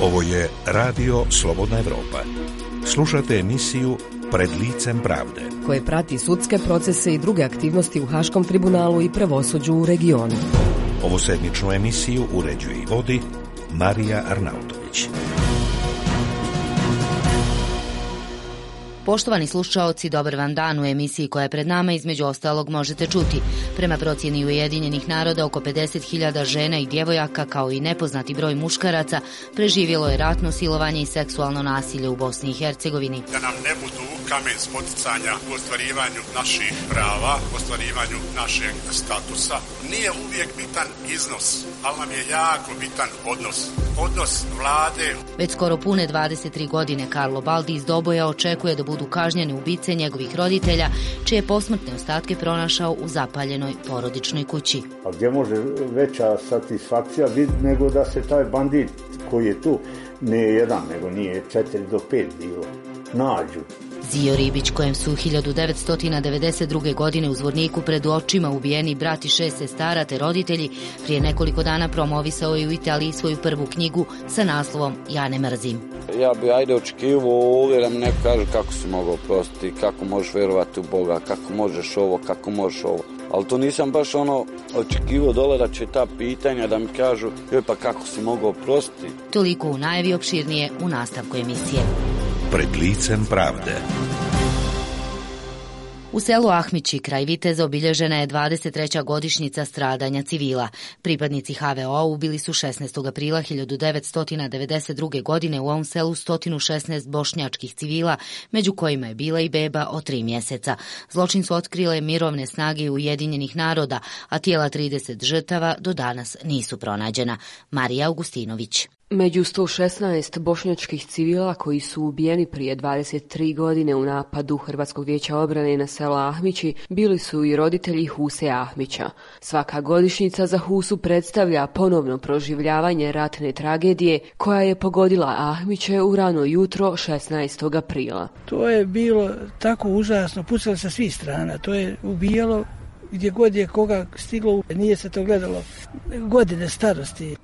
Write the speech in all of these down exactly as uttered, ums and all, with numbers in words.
Ovo je Radio Slobodna Evropa. Slušate emisiju Pred licem pravde, koje prati sudske procese i druge aktivnosti u Haškom tribunalu i pravosuđu u regionu. Ovu sedmičnu emisiju uređuje i vodi Marija Arnautović. Poštovani slušaoci, dobar vam dan. U emisiji koja je pred nama između ostalog možete čuti. Prema procjeni Ujedinjenih naroda, oko pedeset hiljada žena i djevojaka, kao i nepoznati broj muškaraca, preživjelo je ratno silovanje i seksualno nasilje u Bosni i Hercegovini. Da nam ne budu kamen spoticanja u ostvarivanju naših prava, u ostvarivanju našeg statusa. Nije uvijek bitan iznos, ali nam je jako bitan odnos. Odnos vlade. Već skoro pune dvadeset tri godine Karlo Baldi iz Doboja očekuje da budu kažnjeni ubice njegovih roditelja, čije posmrtne ostatke pronašao u zapaljenoj porodičnoj kući. A gdje može veća satisfakcija biti nego da se taj bandit koji je tu, nije jedan, nego nije četiri do pet bilo, nađu. Zio Ribić, kojem su hiljadu devetsto devedeset druge. godine u Zvorniku pred očima ubijeni brat i šest sestara te roditelji, prije nekoliko dana promovisao je u Italiji svoju prvu knjigu sa naslovom Ja ne mrzim. Ja bi ajde očekivao ovdje da mi neko kaže kako si mogao prostiti, kako možeš vjerovati u Boga, kako možeš ovo, kako možeš ovo. Ali to nisam baš ono očekivao dole da će ta pitanja da mi kažu joj pa kako si mogao prostiti. Toliko u najavi, opširnije u nastavku emisije. Pred licem pravde. U selu Ahmići, kraj Viteza, obilježena je dvadeset treća godišnjica stradanja civila. Pripadnici ha ve o ubili su šesnaestog aprila hiljadu devetsto devedeset druge. godine u ovom selu sto šesnaest bošnjačkih civila, među kojima je bila i beba od tri mjeseca. Zločin su otkrile mirovne snage Ujedinjenih naroda, a tijela trideset žrtava do danas nisu pronađena. Marija Augustinović. Među sto šesnaest bošnjačkih civila koji su ubijeni prije dvadeset tri godine u napadu Hrvatskog vijeća obrane na selo Ahmići bili su i roditelji Huse Ahmića. Svaka godišnjica za Husu predstavlja ponovno proživljavanje ratne tragedije koja je pogodila Ahmiće u rano jutro šesnaestog aprila. To je bilo tako užasno, pucalo sa svih strana, to je ubijalo gdje god je koga stiglo, nije se to gledalo. Godine starosti.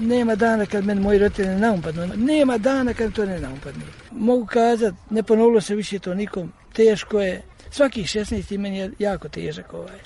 Nema dana kad meni moji roditelji ne naupadnu. Nema dana kad to ne naupadnu. Mogu kazati, ne ponovilo se više to nikom. Teško je. Svakih šesnaest meni je jako težak ovaj.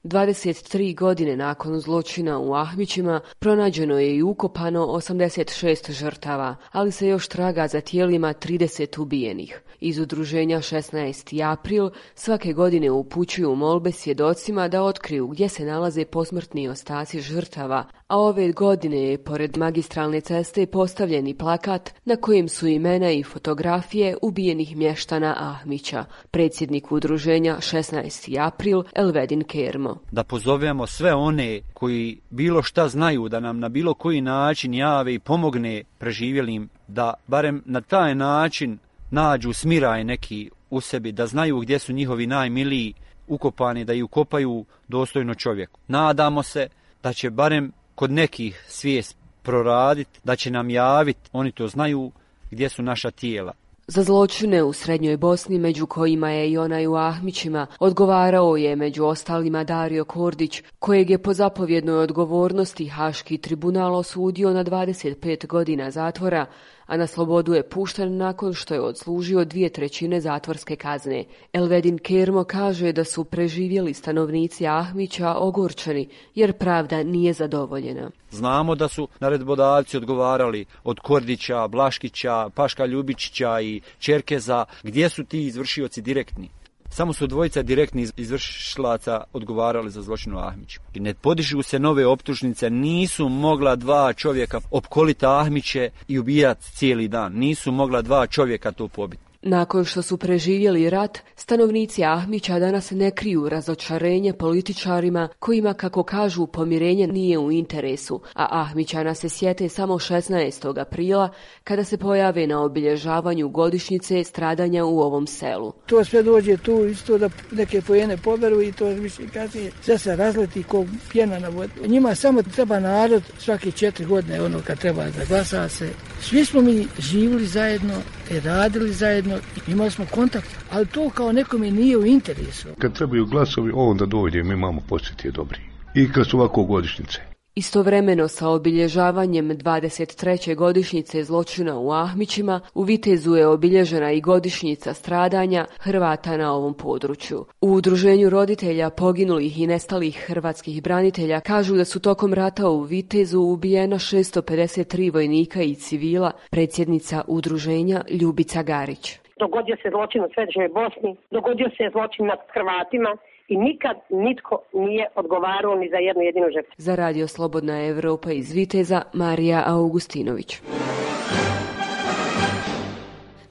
dvadeset tri godine nakon zločina u Ahmićima pronađeno je i ukopano osamdeset šest žrtava, ali se još traga za tijelima trideset ubijenih. Iz udruženja šesnaesti april svake godine upućuju molbe svjedocima da otkriju gdje se nalaze posmrtni ostaci žrtava, a ove godine je pored magistralne ceste postavljeni plakat na kojem su imena i fotografije ubijenih mještana Ahmića. Predsjednik udruženja šesnaesti april Elvedin Kermo. Da pozovemo sve one koji bilo šta znaju da nam na bilo koji način jave i pomogne preživjelim, da barem na taj način nađu smiraj neki u sebi, da znaju gdje su njihovi najmiliji ukopani, da ih ukopaju dostojno čovjeku. Nadamo se da će barem kod nekih svijest proraditi, da će nam javiti, oni to znaju, gdje su naša tijela. Za zločine u Srednjoj Bosni, među kojima je i onaj u Ahmićima, odgovarao je među ostalima Dario Kordić, kojeg je po zapovjednoj odgovornosti Haški tribunal osudio na dvadeset pet godina zatvora, a na slobodu je pušten nakon što je odslužio dvije trećine zatvorske kazne. Elvedin Kermo kaže da su preživjeli stanovnici Ahmića ogorčeni, jer pravda nije zadovoljena. Znamo da su naredbodavci odgovarali od Kordića, Blaškića, Paška Ljubičića i Čerkeza, gdje su ti izvršioci direktni. Samo su dvojica direktnih izvršilaca odgovarali za zločin u Ahmiću. I ne podižu se nove optužnice, nisu mogla dva čovjeka opkoliti Ahmiće i ubijati cijeli dan. Nisu mogla dva čovjeka to pobiti. Nakon što su preživjeli rat, stanovnici Ahmića danas ne kriju razočarenje političarima kojima, kako kažu, pomirenje nije u interesu, a Ahmićana se sjete samo šesnaestog aprila kada se pojave na obilježavanju godišnjice stradanja u ovom selu. To sve dođe tu isto da neke pojene poberu i to više kasnije sve se razleti ko pjena na vodu. Njima samo treba narod svake četiri godine, ono kad treba da glasa se. Svi smo mi živjeli zajedno i radili zajedno, imali smo kontakt, ali to kao nekome nije u interesu. Kad trebaju glasovi, onda dođe, mi imamo posjeti dobri. I kad su ovako godišnjice. Istovremeno sa obilježavanjem dvadeset treće godišnjice zločina u Ahmićima, u Vitezu je obilježena i godišnjica stradanja Hrvata na ovom području. U udruženju roditelja poginulih i nestalih hrvatskih branitelja kažu da su tokom rata u Vitezu ubijena šesto pedeset tri vojnika i civila, predsjednica udruženja Ljubica Garić. Dogodio se zločin u Središnjoj Bosni, dogodio se zločin nad Hrvatima i nikad nitko nije odgovarao ni za jednu jedinu žrtvu. Za Radio Slobodna Evropa iz Viteza, Marija Augustinović.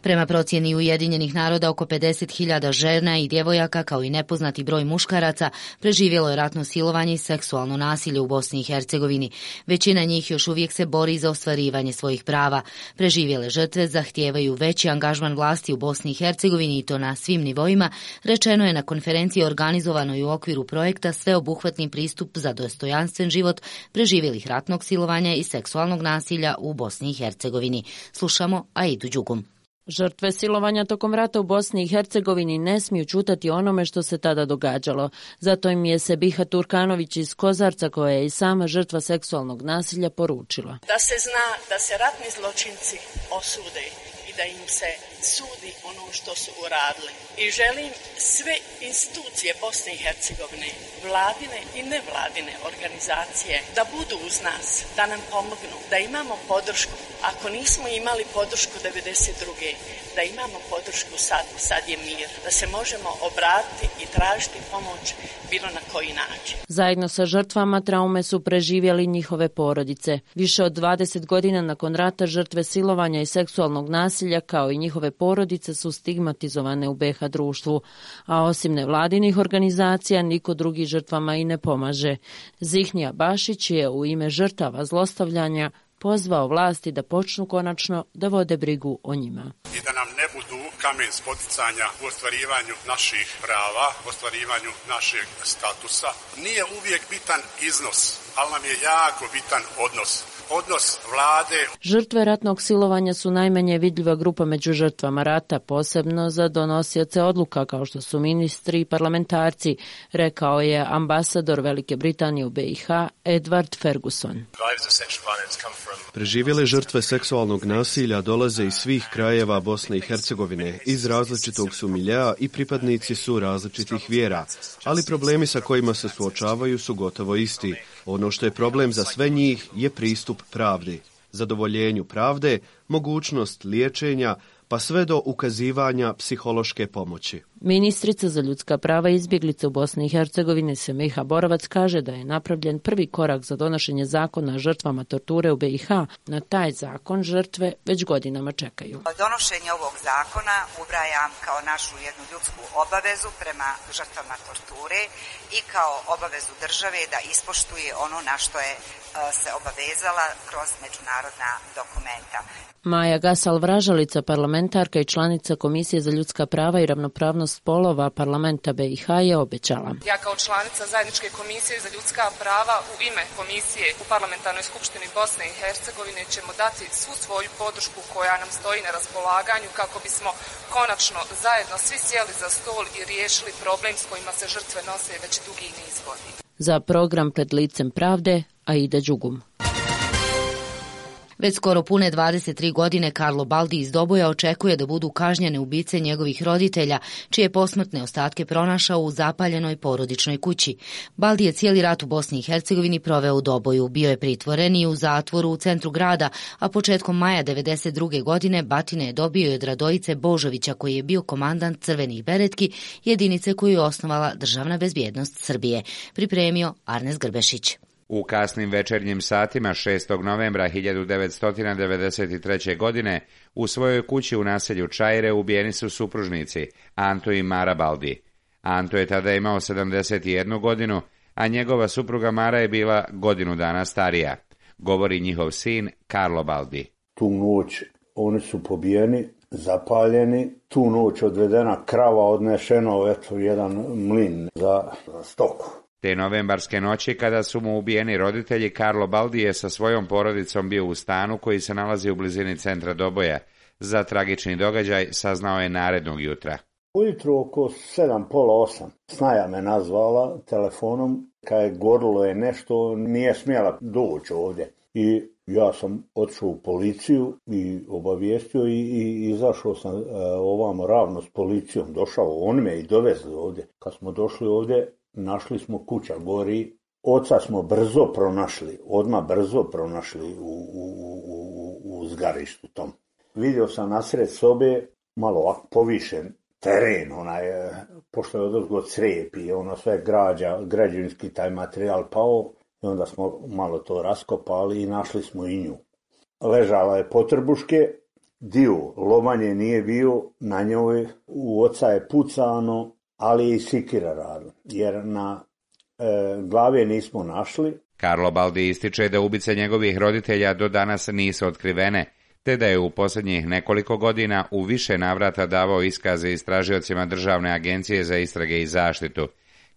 Prema procjeni Ujedinjenih naroda, oko pedeset hiljada žena i djevojaka, kao i nepoznati broj muškaraca, preživjelo je ratno silovanje i seksualno nasilje u Bosni i Hercegovini. Većina njih još uvijek se bori za ostvarivanje svojih prava. Preživjele žrtve zahtijevaju veći angažman vlasti u Bosni i Hercegovini i to na svim nivoima, rečeno je na konferenciji organizovanoj u okviru projekta Sveobuhvatni pristup za dostojanstven život preživjelih ratnog silovanja i seksualnog nasilja u Bosni i Hercegovini. Slušamo Aidu Đugum. Žrtve silovanja tokom rata u Bosni i Hercegovini ne smiju čutati onome što se tada događalo. Zato im je Sebiha Turkanović iz Kozarca, koja je i sama žrtva seksualnog nasilja, poručila. Da se zna da se ratni zločinci osude i da im se sudi ono što su uradili. I želim sve institucije Bosne i Hercegovine, vladine i nevladine organizacije, da budu uz nas, da nam pomognu, da imamo podršku. Ako nismo imali podršku devedeset druge da imamo podršku sad, sad je mir, da se možemo obratiti i tražiti pomoć bilo na koji način. Zajedno sa žrtvama traume su preživjeli njihove porodice. Više od dvadeset godina nakon rata žrtve silovanja i seksualnog nasilja, kao i njihove porodice, su stigmatizovane u be ha društvu, a osim nevladinih organizacija niko drugi žrtvama i ne pomaže. Zihnija Bašić je u ime žrtava zlostavljanja pozvao vlasti da počnu konačno da vode brigu o njima. I da nam ne budu kamen spoticanja u ostvarivanju naših prava, u ostvarivanju našeg statusa. Nije uvijek bitan iznos, ali nam je jako bitan odnos. Odnos vlade. Žrtve ratnog silovanja su najmanje vidljiva grupa među žrtvama rata, posebno za donosioce odluka kao što su ministri i parlamentarci, rekao je ambasador Velike Britanije u be i ha Edward Ferguson. Preživjele žrtve seksualnog nasilja dolaze iz svih krajeva Bosne i Hercegovine, iz različitog su miljea i pripadnici su različitih vjera, ali problemi sa kojima se suočavaju su gotovo isti. Ono što je problem za sve njih je pristup pravdi, zadovoljenju pravde, mogućnost liječenja, pa sve do ukazivanja psihološke pomoći. Ministrica za ljudska prava i izbjeglice u Bosni i Hercegovini Semiha Borovac kaže da je napravljen prvi korak za donošenje zakona o žrtvama torture u be i ha. Na taj zakon žrtve već godinama čekaju. Donošenje ovog zakona ubrajam kao našu jednu ljudsku obavezu prema žrtvama torture i kao obavezu države da ispoštuje ono na što je se obavezala kroz međunarodna dokumenta. Maja Gasal-Vražalica, parlamentarka i članica Komisije za ljudska prava i ravnopravnost spolova parlamenta be i ha, je obećala. Ja kao članica Zajedničke komisije za ljudska prava u ime Komisije u Parlamentarnoj skupštini Bosne i Hercegovine ćemo dati svu svoju podršku koja nam stoji na raspolaganju kako bismo konačno zajedno svi sjeli za stol i riješili problem s kojima se žrtve nose već dugi niz godina. Za program Pred licem pravde, Aida Đugum. Već skoro pune dvadeset tri godine Karlo Baldi iz Doboja očekuje da budu kažnjene ubice njegovih roditelja, čije posmrtne ostatke pronašao u zapaljenoj porodičnoj kući. Baldi je cijeli rat u Bosni i Hercegovini proveo u Doboju, bio je pritvoren i u zatvoru u centru grada, a početkom maja devedeset druge godine batine je dobio i od Radojice Božovića, koji je bio komandant Crvenih beretki, jedinice koju je osnovala Državna bezbjednost Srbije. Pripremio Arnes Grbešić. U kasnim večernjim satima šestog novembra hiljadu devetsto devedeset treće. godine u svojoj kući u naselju Čajre ubijeni su supružnici Anto i Mara Baldi. Anto je tada imao sedamdeset jednu godinu, a njegova supruga Mara je bila godinu dana starija, govori njihov sin Karlo Baldi. Tu noć oni su pobijeni, zapaljeni, tu noć odvedena krava, odnešeno eto jedan mlin za, za stoku. Te novembarske noći, kada su mu ubijeni roditelji, Karlo Baldi je sa svojom porodicom bio u stanu koji se nalazi u blizini centra Doboja. Za tragični događaj saznao je narednog jutra. Ujutro oko sedam, pola osam. Snaja me nazvala telefonom, kad je gorilo je nešto, nije smjela doći ovdje. I ja sam otišao u policiju i obavijestio i, i izašao sam e, ovamo ravno s policijom. Došao, on me i dovezli ovdje. Kad smo došli ovdje, našli smo kuća gori. Oca smo brzo pronašli, odmah brzo pronašli u, u, u, u zgarištu tom. Vidio sam nasred sobe, malo ovako povišen teren, onaj, pošto je odozgo crijep i ono sve građa, građevinski taj materijal pao, i onda smo malo to raskopali i našli smo i nju. Ležala je potrbuške, dio lomanje nije bio na njoj, u oca je pucano, ali je i sikira radila, jer na e, glave nismo našli. Karlo Baldi ističe da ubice njegovih roditelja do danas nisu otkrivene, te da je u posljednjih nekoliko godina u više navrata davao iskaze istražiocima Državne agencije za istrage i zaštitu.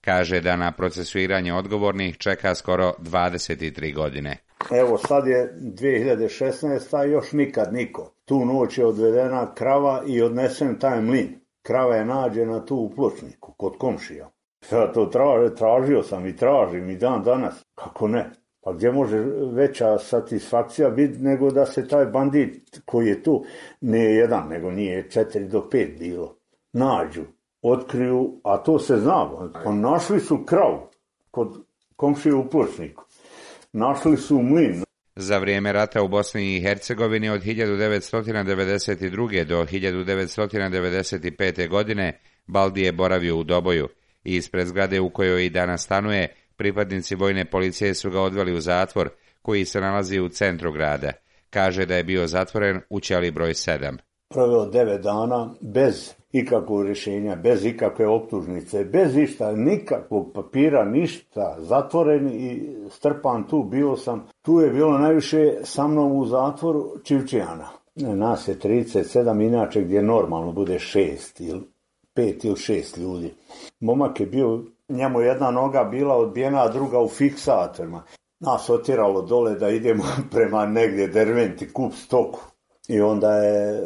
Kaže da na procesuiranje odgovornih čeka skoro dvadeset tri godine. Evo sad je dvije hiljade šesnaeste. još nikad niko. Tu noć je odvedena krava i odnesen taj mlin. Krava je nađena tu u Pločniku, kod komšija. Ja to tražio, tražio sam i tražim i dan danas. Kako ne? Pa gdje može veća satisfakcija biti nego da se taj bandit koji je tu, nije jedan, nego nije četiri do pet bilo, nađu, otkriju, a to se zna. Pa našli su kravu kod komšije u Pločniku. Našli su mlin. Za vrijeme rata u Bosni i Hercegovini od hiljadu devetsto devedeset druge. do hiljadu devetsto devedeset pete. godine Baldi je boravio u Doboju. Ispred zgrade u kojoj i danas stanuje, pripadnici vojne policije su ga odveli u zatvor, koji se nalazi u centru grada. Kaže da je bio zatvoren u ćeliji broj sedam. Proveo devet dana bez ikakvog rješenja, bez ikakve optužnice, bez ništa, nikakvog papira, ništa, zatvoren i strpan tu, bio sam. Tu je bilo najviše sa mnom u zatvoru Čivčijana. Nas je trideset sedam, inače gdje normalno bude šest ili pet ili šest ljudi. Momak je bio, njemu jedna noga bila odbijena, a druga u fiksatorima. Nas otjeralo dole da idemo prema negdje Derventi, kup stoku. I onda je,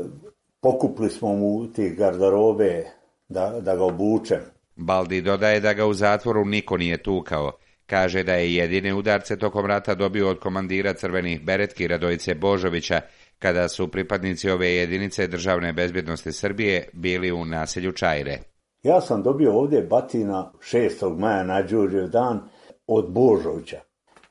pokupili smo mu tih garderobe da, da ga obučem. Baldi dodaje da ga u zatvoru niko nije tukao. Kaže da je jedine udarce tokom rata dobio od komandira crvenih beretki Radojice Božovića, kada su pripadnici ove jedinice Državne bezbjednosti Srbije bili u naselju Čajre. Ja sam dobio ovdje batina šestog maja na Đurđev dan od Božovića.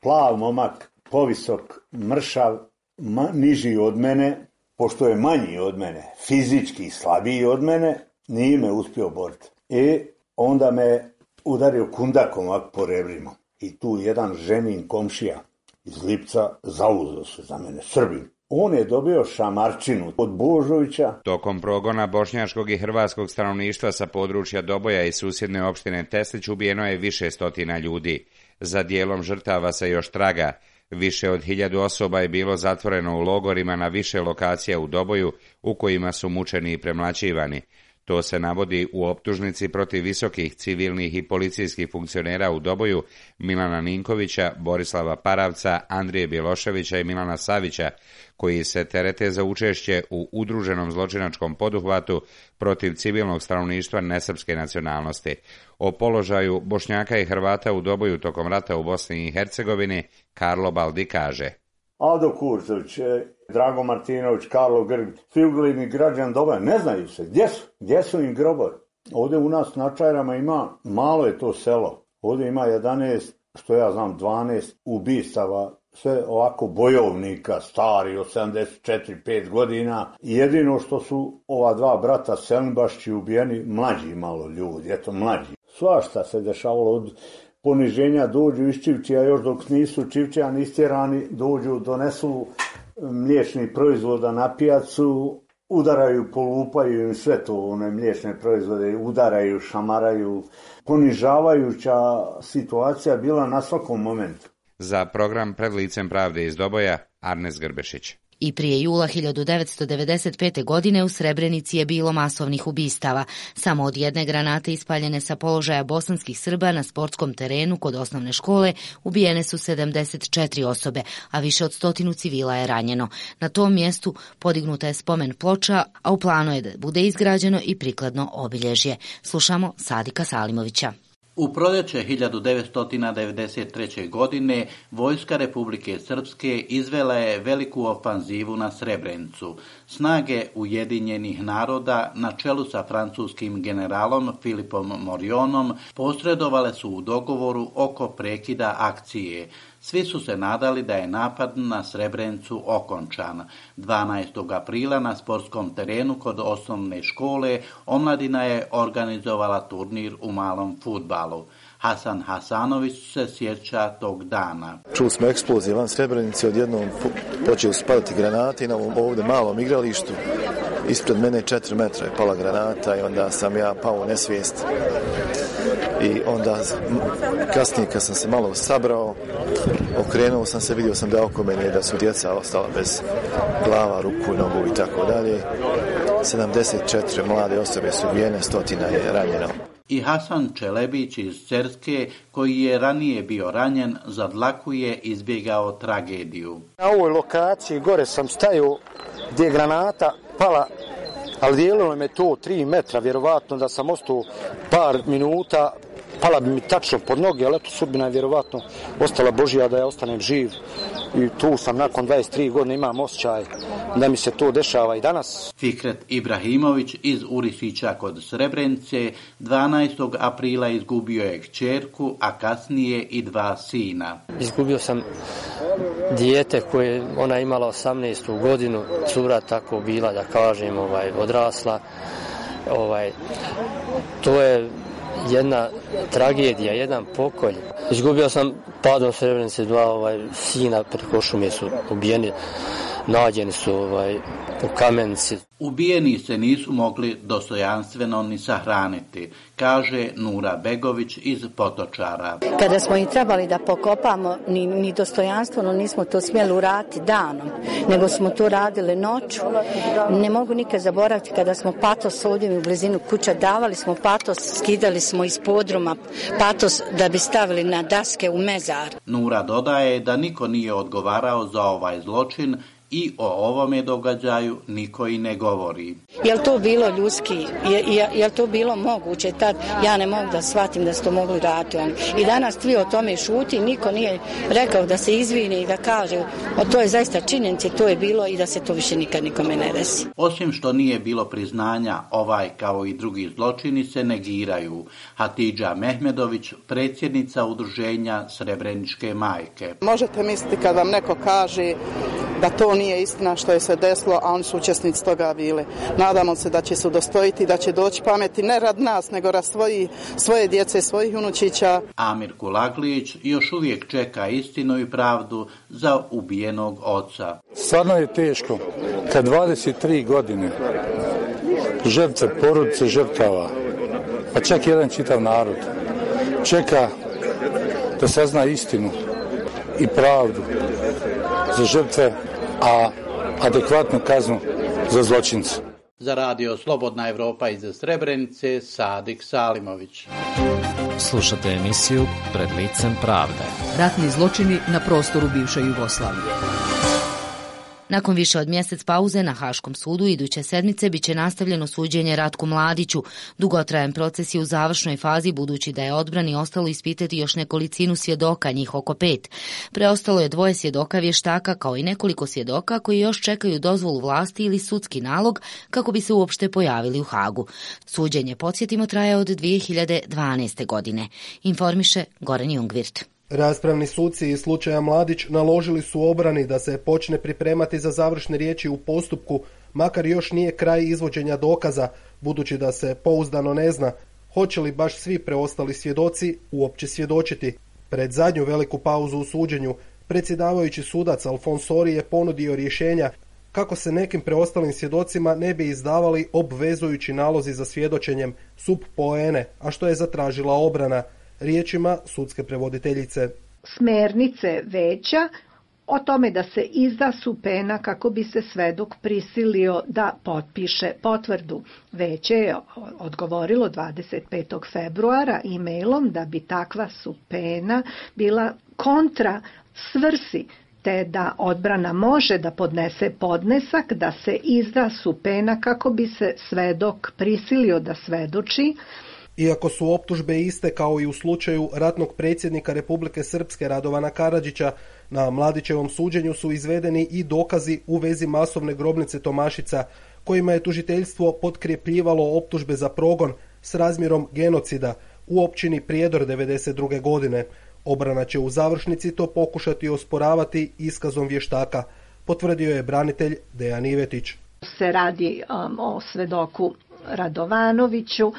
Plav momak, povisok, mršav, ma, niži od mene, pošto je manji od mene, fizički slabiji od mene, nije me uspio boriti. I onda me udario kundakom ovak po rebrima. I tu jedan ženin komšija iz Lipca zauzeo se za mene, Srbin. On je dobio šamarčinu od Božovića. Tokom progona bošnjačkog i hrvatskog stanovništva sa područja Doboja i susjedne opštine Teslić ubijeno je više stotina ljudi. Za dijelom žrtava se još traga. Više od hiljadu osoba je bilo zatvoreno u logorima na više lokacija u Doboju, u kojima su mučeni i premlaćivani. To se navodi u optužnici protiv visokih civilnih i policijskih funkcionera u Doboju Milana Ninkovića, Borislava Paravca, Andrije Bjeloševića i Milana Savića, koji se terete za učešće u udruženom zločinačkom poduhvatu protiv civilnog stanovništva nesrpske nacionalnosti. O položaju Bošnjaka i Hrvata u Doboju tokom rata u Bosni i Hercegovini Karlo Baldi kaže: Aldo Kurzović, Drago Martinović, Karlo Grg, svi ugledni građani Doboja, ne znaju se. Gdje su? Gdje su im grobovi? Ovdje u nas na Čajrama ima, malo je to selo. Ovdje ima jedanaest, što ja znam, dvanaest ubistava, sve ovako bojovnika, stari od sedamdeset četiri pet godina. I jedino što su ova dva brata Selimbašći ubijeni, mlađi malo ljudi, eto mlađi. Svašta se dešavalo od poniženja, dođu iz Čivčija, još dok nisu Čivčijani istjerani, dođu, donesu mliječni proizvoda na pijacu, udaraju, polupaju i sve to, one mliječne proizvode, udaraju, šamaraju. Ponižavajuća situacija bila na svakom momentu. Za program Pred licem pravde iz Doboja, Arnes Grbešić. I prije jula hiljadu devetsto devedeset pete. godine u Srebrenici je bilo masovnih ubistava. Samo od jedne granate ispaljene sa položaja bosanskih Srba na sportskom terenu kod osnovne škole ubijene su sedamdeset četiri osobe, a više od stotinu civila je ranjeno. Na tom mjestu podignuta je spomen ploča, a u planu je da bude izgrađeno i prikladno obilježje. Slušamo Sadika Salimovića. U proljeće hiljadu devetsto devedeset treće. godine vojska Republike Srpske izvela je veliku ofanzivu na Srebrenicu. Snage Ujedinjenih naroda na čelu sa francuskim generalom Filipom Morionom posredovale su u dogovoru oko prekida akcije. Svi su se nadali da je napad na Srebrenicu okončan. dvanaestog aprila na sportskom terenu kod osnovne škole omladina je organizovala turnir u malom fudbalu. Hasan Hasanović se sjeća tog dana. Čuli smo eksplozije van Srebrenice, odjednom počeli su padati granate i na ovom ovdje malom igralištu. Ispred mene četiri metra je pala granata i onda sam ja pao u nesvijest. I onda kasnije kad sam se malo sabrao, okrenuo sam se, vidio sam da oko mene da su djeca ostala bez glava, ruku, nogu i tako dalje. sedamdeset četiri mlade osobe su ubijene, stotina je ranjeno. I Hasan Čelebić iz Cerske, koji je ranije bio ranjen, za dlaku je izbjegao tragediju. Na ovoj lokaciji gore sam stajao gdje je granata pala, ali dijelilo me to tri metra, vjerovatno da sam ostao par minuta, pala bi mi tačno pod noge, ali eto sudbina je vjerovatno ostala Božja da ja ostanem živ. I tu sam nakon dvadeset tri godine, imam osjećaj da mi se to dešava i danas. Fikret Ibrahimović iz Urisića kod Srebrenice dvanaestog aprila izgubio je kćerku, a kasnije i dva sina. Izgubio sam dijete koje ona imala osamnaestu godinu, cura tako bila, da kažem, ovaj, odrasla. Ovaj, to je jedna tragedija, jedan pokolj. Izgubio sam padom Srebrenice dva ovaj, sina preko šume su ubijeni, nađeni su ovaj, u Kamenici. Ubijeni se nisu mogli dostojanstveno ni sahraniti, kaže Nura Begović iz Potočara. Kada smo ih trebali da pokopamo, ni, ni dostojanstveno nismo to smjeli uraditi danom, nego smo to radili noću. Ne mogu nikad zaboraviti kada smo patos ovdje u blizinu kuća, davali smo patos, skidali smo iz podruma patos da bi stavili na daske u mezar. Nura dodaje da niko nije odgovarao za ovaj zločin i o ovome događaju niko i ne govori. Je li to bilo ljudski? Je, je, je li to bilo moguće? Tad ja ne mogu da shvatim da su to mogli raditi. I danas svi o tome šuti, niko nije rekao da se izvini i da kaže o to je zaista činjenica, to je bilo i da se to više nikad nikome ne desi. Osim što nije bilo priznanja, ovaj kao i drugi zločini se negiraju. Hatidža Mehmedović, predsjednica udruženja Srebreničke majke. Možete misliti kad vam neko kaže da to nije istina što je se desilo, a oni su učesnici toga bili. Nadamo se da će se udostojiti, da će doći pameti ne rad nas, nego rad svoji, svoje djece, svojih unučića. Amir Kulaglić još uvijek čeka istinu i pravdu za ubijenog oca. Stvarno je teško kad dvadeset tri godine žrtve, porodice žrtava, pa čak jedan čitav narod čeka da sazna istinu i pravdu za žrtve, a adekvatnu kaznu za zločince. Za radio Slobodna Evropa iz Srebrenice, Sadik Salimović. Slušate emisiju Pred licem pravde. Ratni zločini na prostoru bivše Jugoslavije. Nakon više od mjesec pauze na Haškom sudu iduće sedmice biće nastavljeno suđenje Ratku Mladiću. Dugotrajan proces je u završnoj fazi budući da je odbrani ostalo ispitati još nekolicinu svjedoka, njih oko pet. Preostalo je dvoje svjedoka vještaka kao i nekoliko svjedoka koji još čekaju dozvolu vlasti ili sudski nalog kako bi se uopšte pojavili u Hagu. Suđenje, podsjetimo, traje od dvije hiljade dvanaeste. godine. Informiše Goran Jungvirt. Raspravni suci iz slučaja Mladić naložili su obrani da se počne pripremati za završne riječi u postupku, makar još nije kraj izvođenja dokaza, budući da se pouzdano ne zna hoće li baš svi preostali svjedoci uopće svjedočiti. Pred zadnju veliku pauzu u suđenju, predsjedavajući sudac Alfonsori je ponudio rješenja kako se nekim preostalim svjedocima ne bi izdavali obvezujući nalozi za svjedočenjem sub poene, a što je zatražila obrana. Riječima sudske prevoditeljice. Smernice veća o tome da se izda supena kako bi se svedok prisilio da potpiše potvrdu. Veće je odgovorilo dvadeset petog februara e-mailom da bi takva supena bila kontra svrsi, te da odbrana može da podnese podnesak da se izda supena kako bi se svedok prisilio da svedoči. Iako su optužbe iste kao i u slučaju ratnog predsjednika Republike Srpske Radovana Karadžića, na Mladićevom suđenju su izvedeni i dokazi u vezi masovne grobnice Tomašica, kojima je tužiteljstvo potkrepljivalo optužbe za progon s razmjerom genocida u općini Prijedor devedeset druge godine. Obrana će u završnici to pokušati osporavati iskazom vještaka, potvrdio je branitelj Dejan Ivetić. Se radi um, o svedoku Radovanoviću,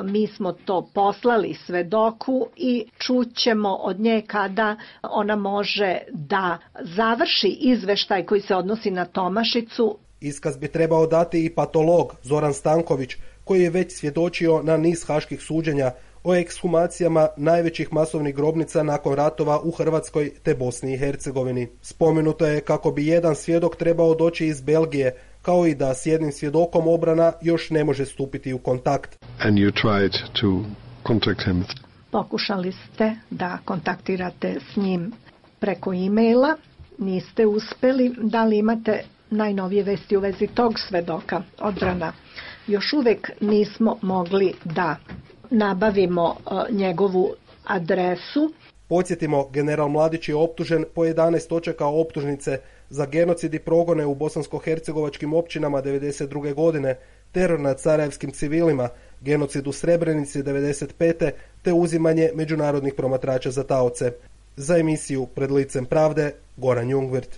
mi smo to poslali svedoku i čućemo od nje kada ona može da završi izveštaj koji se odnosi na Tomašicu. Iskaz bi trebao dati i patolog Zoran Stanković, koji je već svjedočio na niz haških suđenja o ekshumacijama najvećih masovnih grobnica nakon ratova u Hrvatskoj te Bosni i Hercegovini. Spomenuto je kako bi jedan svjedok trebao doći iz Belgije, kao i da s jednim svjedokom obrana još ne može stupiti u kontakt. And you tried to contact him. Pokušali ste da kontaktirate s njim preko e-maila, niste uspjeli. Da li imate najnovije vesti u vezi tog svedoka? Odbrana. Još uvijek nismo mogli da nabavimo uh, njegovu adresu. Podsjetimo, general Mladić je optužen po jedanaest točaka optužnice za genocid i progone u bosansko-hercegovačkim općinama devedeset druge godine, teror nad sarajevskim civilima, genocid u Srebrenici devedeset pete te uzimanje međunarodnih promatrača za taoce. Za emisiju Pred licem pravde, Goran Jungwirth.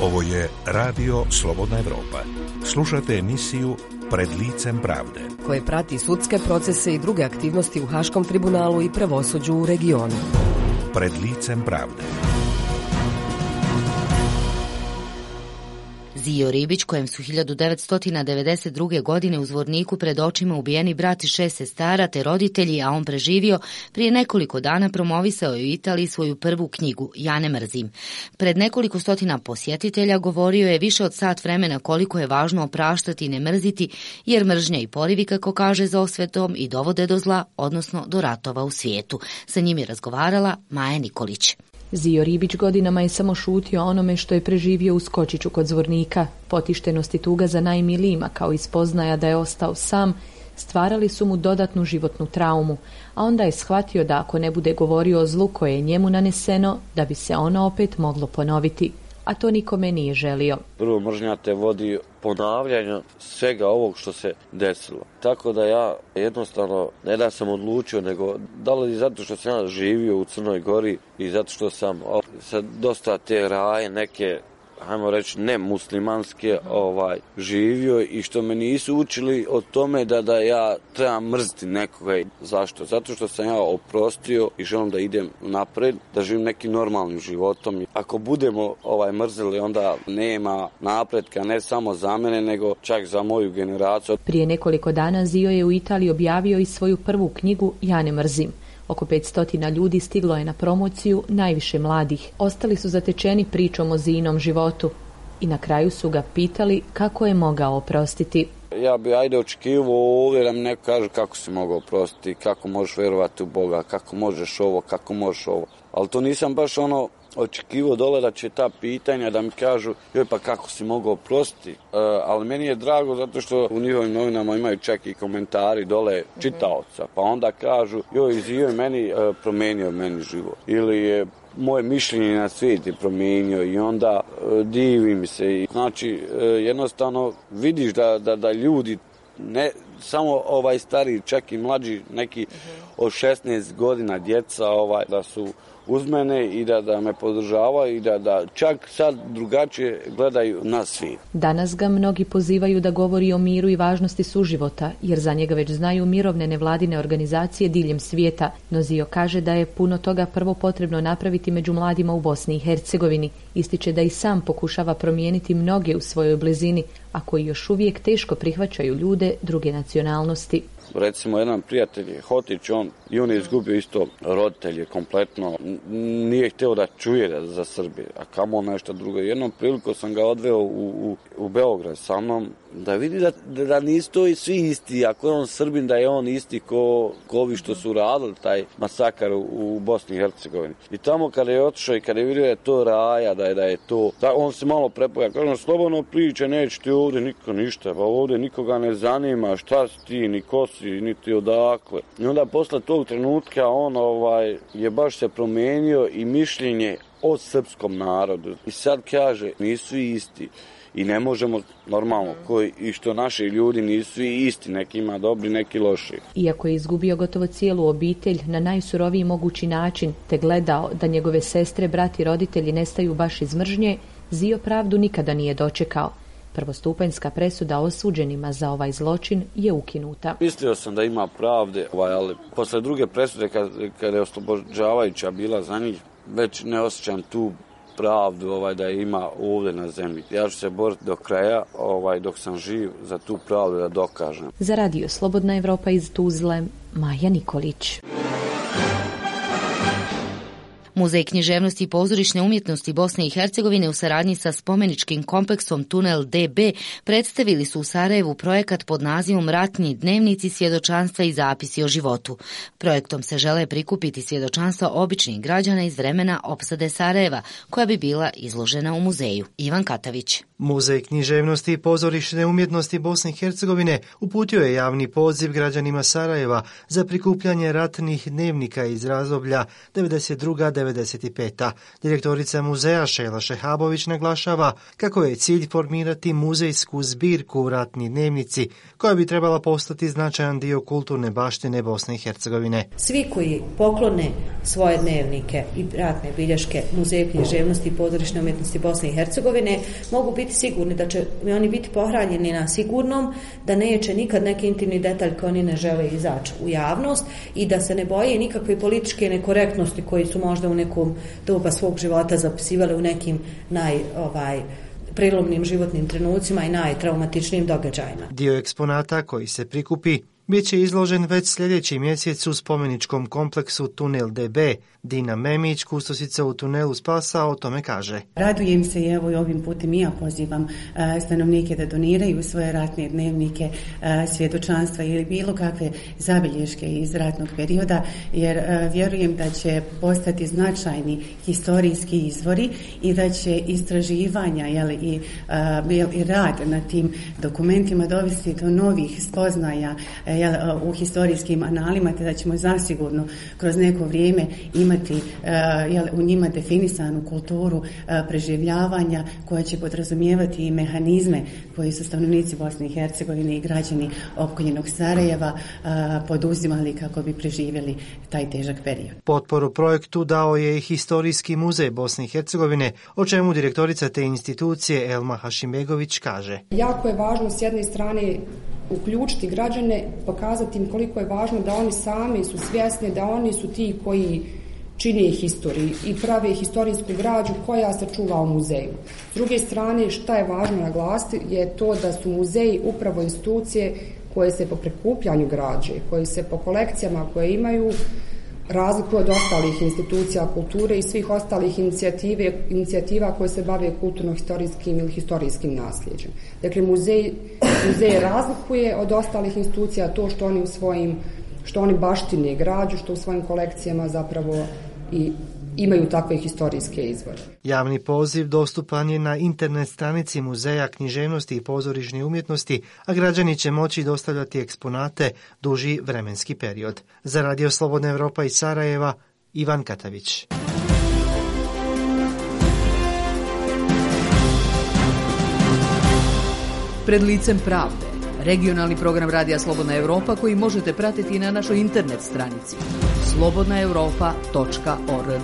Ovo je Radio Slobodna Evropa. Slušate emisiju Pred licem pravde, koje prati sudske procese i druge aktivnosti u Haškom tribunalu i pravosuđu u regionu. Pred licem pravde. Zio Ribić, kojem su hiljadu devetsto devedeset druge. godine u Zvorniku pred očima ubijeni brat i šest sestara te roditelji, a on preživio, prije nekoliko dana promovisao je u Italiji svoju prvu knjigu, Ja ne mrzim. Pred nekoliko stotina posjetitelja govorio je više od sat vremena koliko je važno opraštati i ne mrziti, jer mržnja i porivi, kako kaže, za osvetom i dovode do zla, odnosno do ratova u svijetu. Sa njim je razgovarala Maja Nikolić. Zio Ribić godinama je samo šutio onome što je preživio u Skočiću kod Zvornika. Potištenost i tuga za najmilijima, kao i spoznaja da je ostao sam, stvarali su mu dodatnu životnu traumu, a onda je shvatio da ako ne bude govorio o zlu koje je njemu naneseno, da bi se ono opet moglo ponoviti, a to nikome nije želio. Prvo, mržnja te vodi ponavljanju svega ovog što se desilo. Tako da ja jednostavno ne da sam odlučio, nego da li zato što sam ja živio u Crnoj Gori i zato što sam sa dosta te raje neke, hajmo reći, ne muslimanske ovaj, živio i što me nisu učili o tome da, da ja trebam mrziti nekoga. Zašto? Zato što sam ja oprostio i želim da idem napred, da živim nekim normalnim životom. Ako budemo ovaj, mrzili, onda nema napretka ne samo za mene, nego čak za moju generaciju. Prije nekoliko dana Zio je u Italiji objavio i svoju prvu knjigu Ja ne mrzim. Oko petsto ljudi stiglo je na promociju, najviše mladih. Ostali su zatečeni pričom o Zijinom životu i na kraju su ga pitali kako je mogao oprostiti. Ja bi ajde očekivao ovdje da mi neko kaže kako si mogao oprostiti, kako možeš vjerovati u Boga, kako možeš ovo, kako možeš ovo. Ali to nisam baš ono očekivao dole da će ta pitanja da mi kažu joj pa kako si mogao oprostiti. E, ali meni je drago zato što u njihovim novinama imaju čak i komentari dole čitaoca. Pa onda kažu joj Zio je meni e, promijenio meni život. Ili je moje mišljenje na svijet je promijenio i onda e, divim se. Znači e, jednostavno vidiš da, da, da ljudi ne samo ovaj stari, čak i mlađi, neki od šesnaest godina djeca ovaj da su uz mene i da, da me podržavaju i da, da čak sad drugačije gledaju na svijet. Danas ga mnogi pozivaju da govori o miru i važnosti suživota, jer za njega već znaju mirovne nevladine organizacije diljem svijeta. No Zio kaže da je puno toga prvo potrebno napraviti među mladima u Bosni i Hercegovini. Ističe da i sam pokušava promijeniti mnoge u svojoj blizini, a koji još uvijek teško prihvaćaju ljude druge nacionalnosti. Recimo, jedan prijatelj je Hotić, on i on je izgubio isto roditelje kompletno. Nije htio da čuje za Srbije, a kamo nešto drugo. Jednom priliku sam ga odveo u, u, u Beograd sa mnom da vidi da, da nisu to i svi isti. Ako je on Srbin, da je on isti ko, ko ovi što su radili taj masakar u, u Bosni i Hercegovini. I tamo kada je otišao i kada je vidio da je to raja, da je, da je to, da on se malo prepoja. Kažem, slobodno priče, neće ti ovdje niko ništa, pa ovdje nikoga ne zanima, šta si ti, ni ko si, niti odakle. I onda posle tog trenutka on ovaj, je baš se promijenio i mišljenje o srpskom narodu. I sad kaže, nisu isti. I ne možemo normalno, koji, i što naši ljudi nisu isti, neki ima dobri, neki loši. Iako je izgubio gotovo cijelu obitelj na najsuroviji mogući način, te gledao da njegove sestre, brati i roditelji nestaju baš iz mržnje, Zio pravdu nikada nije dočekao. Prvostupanjska presuda osuđenima za ovaj zločin je ukinuta. Mislio sam da ima pravde, ovaj, ali posle druge presude, kad, kad je oslobođavajuća bila za njih, već ne osjećam tu pravdu ovaj, da ima ovdje na zemlji. Ja ću se boriti do kraja, ovaj, dok sam živ, za tu pravdu da dokažem. Za radio Slobodna Evropa iz Tuzle, Maja Nikolić. Muzej književnosti i pozorišne umjetnosti Bosne i Hercegovine u saradnji sa spomeničkim kompleksom Tunel D B predstavili su u Sarajevu projekat pod nazivom Ratni dnevnici, svjedočanstva i zapisi o životu. Projektom se žele prikupiti svjedočanstva običnih građana iz vremena opsade Sarajeva, koja bi bila izložena u muzeju. Ivan Katavić. Muzej književnosti i pozorišne umjetnosti Bosne i Hercegovine uputio je javni poziv građanima Sarajeva za prikupljanje ratnih dnevnika iz razdoblja devedeset druga do devedeset peta. Direktorica muzeja Šejla Šehabović naglašava kako je cilj formirati muzejsku zbirku Ratni dnevnici, koja bi trebala postati značajan dio kulturne baštine Bosne i Hercegovine. Svi koji poklone svoje dnevnike i ratne bilješke Muzeju književnosti i pozorišne umjetnosti Bosne i Hercegovine mogu biti sigurni da će oni biti pohranjeni na sigurnom, da neće nikad neki intimni detalj koji oni ne žele izaći u javnost i da se ne boje nikakve političke nekorektnosti koji su možda u nekom doba svog života zapisivali u nekim naj, ovaj, prelomnim životnim trenucima i najtraumatičnijim događajima. Dio eksponata koji se prikupi bit će izložen već sljedeći mjesec u spomeničkom kompleksu Tunel D B. Dina Memić, kustosica u tunelu Spasa, o tome kaže. Radujem se i evo i ovim putem i ja pozivam uh, stanovnike da doniraju svoje ratne dnevnike, uh, svjedočanstva ili bilo kakve zabilješke iz ratnog perioda, jer uh, vjerujem da će postati značajni historijski izvori i da će istraživanja jel, i, uh, i rad na tim dokumentima dovesti do novih spoznaja uh, jel, uh, u historijskim analima, te da ćemo zasigurno kroz neko vrijeme imati Jel, u njima definisanu kulturu preživljavanja koja će podrazumijevati i mehanizme koji su stanovnici Bosne i Hercegovine i građani opkoljenog Sarajeva poduzimali kako bi preživjeli taj težak period. Potporu projektu dao je i Historijski muzej Bosne i Hercegovine, o čemu direktorica te institucije Elma Hašimbegović kaže. Jako je važno s jedne strane uključiti građane, pokazati im koliko je važno da oni sami su svjesni da oni su ti koji čine historiju i prave historijsku građu koja se čuva u muzeju. S druge strane, šta je važno naglasiti je to da su muzeji upravo institucije koje se po prikupljanju građe, koje se po kolekcijama koje imaju razlikuju od ostalih institucija kulture i svih ostalih inicijative, inicijativa koje se bave kulturno-historijskim ili historijskim nasljeđem. Dakle, muzej, muzej razlikuje od ostalih institucija to što oni u svojim što oni baštine građu, što u svojim kolekcijama zapravo i imaju takve historijske izvore. Javni poziv dostupan je na internet stranici Muzeja književnosti i pozorišne umjetnosti, a građani će moći dostavljati eksponate duži vremenski period. Za Radio Slobodna Evropa iz Sarajeva, Ivan Katavić. Pred licem pravde. Regionalni program Radija Slobodna Evropa koji možete pratiti na našoj internet stranici slobodna europa tačka org.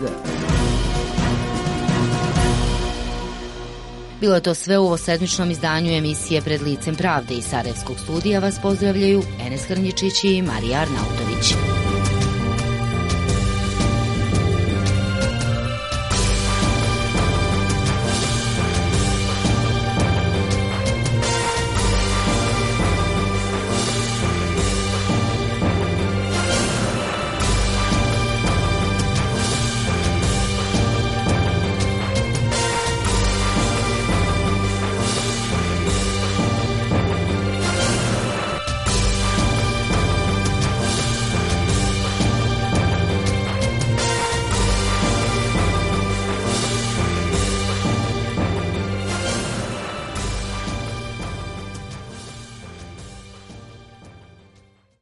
Bilo je to sve u ovosedmičnom izdanju emisije Pred licem pravde. Iz Sarajevskog studija vas pozdravljaju Enes Hrnjičić i Marija Arnautović.